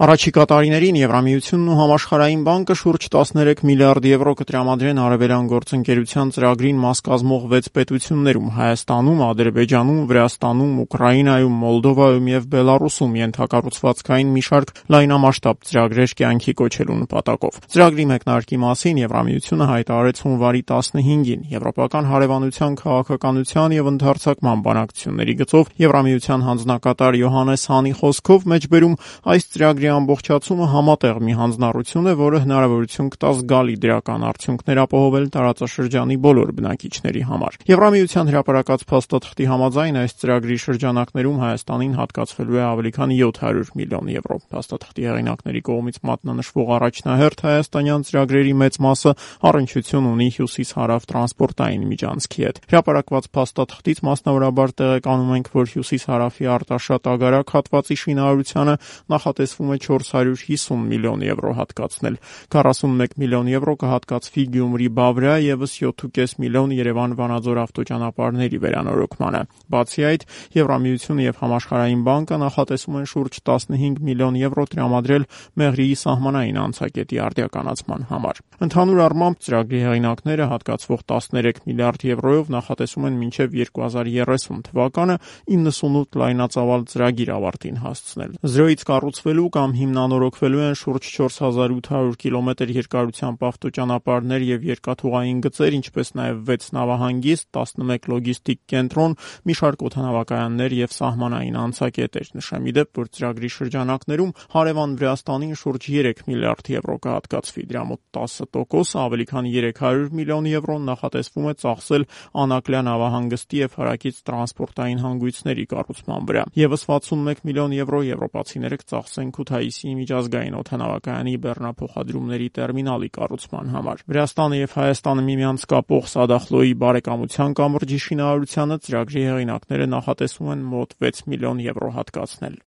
Առաջիկա տարիներին Եվրամիությունն ու Համաշխարհային բանկը շուրջ 13 միլիարդ եվրո կտրամադրեն արևելյան գործընկերության ծրագրին մաս կազմող 6 պետություններում՝ Հայաստանում, Ադրբեջանում, Վրաստանում, Ուկրաինայում, Մոլդովայում եւ Բելառուսում ենթակառուցվածքային մի շարք լայնամասշտաբ ծրագրեր կյանքի կոչելու նպատակով։ Ծրագրի մեկնարկի մասին Եվրամիությունը հայտարարեց հունվարի 15-ին Եվրոպական հարևանության քաղաքականության եւ ընդհանրացման բանակցությունների գծով Եվրամիության հանձնակատար Յոհաննես Հանի խոսքով մեջբերում այս ծրագրի ամբողջացումը համատեղ մի հանձնառություն է, որը հնարավորություն կտա զգալի դրական արդյունքներ ապահովել տարածաշրջանի բոլոր բնակիչների համար։ Եվրամիության հրապարակած փաստաթղթի համաձայն այս ծրագրի շրջանակներում Հայաստանին հատկացվելու է ավելի քան 700 միլիոն եվրո։ Փաստաթղթի հեղինակների կողմից մատնանշվող առաջնահերթ հայաստանյան ծրագրերի մեծ մասը առնչություն ունի հյուսիս-հարավ տրանսպորտային միջանցքի հետ։ Հրապարակված փաստաթղթից մասնավորաբար տեղեկանում ենք, որ հյուսիս-հարավի Արտաշատ Ագարակ հատվածի շինարարությանը նախատեսվում է 450 միլիոն եվրո հատկացնել, 41 միլիոն եվրո կհատկացվի Գյումրի-Բավրիա, ևս 7.5 միլիոն Երևան-Վանաձոր ավտոճանապարհների վերանորոգմանը։ Բացի այդ, Եվրամիությունը եւ Համաշխարհային բանկը նախատեսում են շուրջ 15 միլիոն եվրո տրամադրել Մեղրիի սահմանային անցակետի արդիականացման համար։ Ընդհանուր առմամբ ծրագրի հեղինակները հատկացվող 13 միլիարդ եվրոյով նախատեսում են մինչև 2030 թվականը 98 լայնածավալ ծրագիր ավարտին հասցնել։ Զրոյից կառուցվելու կամ հիմնանորոգվելու են շուրջ 4800 կիլոմետր երկարությամբ ավտոճանապարհներ եւ երկաթուղային գծեր, ինչպես նաեւ 6 նավահանգիստ, 11 լոգիստիկ կենտրոն, մի շարք օդանավակայաններ եւ սահմանային անցակետեր։ Նշեմ ի դեպ, որ ծրագրի շրջանակներում հարևան Վրաստանին շուրջ 3 միլիարդ եվրո կհատկացվի, դրա մոտ 10% ավելի քան 300 միլիոն եվրոն նախատեսվում է ծախսել Անակլիա նավահանգստի եւ հարակից տրանսպորտային հանգույցների կառուցման վրա։ Եվս 61 միլիոն եվրո եվրոպացիները կծախսեն Քութայիսի միջազգային օդանավակայանի բեռնափոխադրումների տերմինալի կառուցման համար։ Վրաստանը եւ Հայաստանը միմյանց կապող Սադախլոյի բարեկամության կամրջի շինարարությանը ծրագրի հեղինակները նախատեսում են մոտ 6 միլիոն եվրո հատկացնել։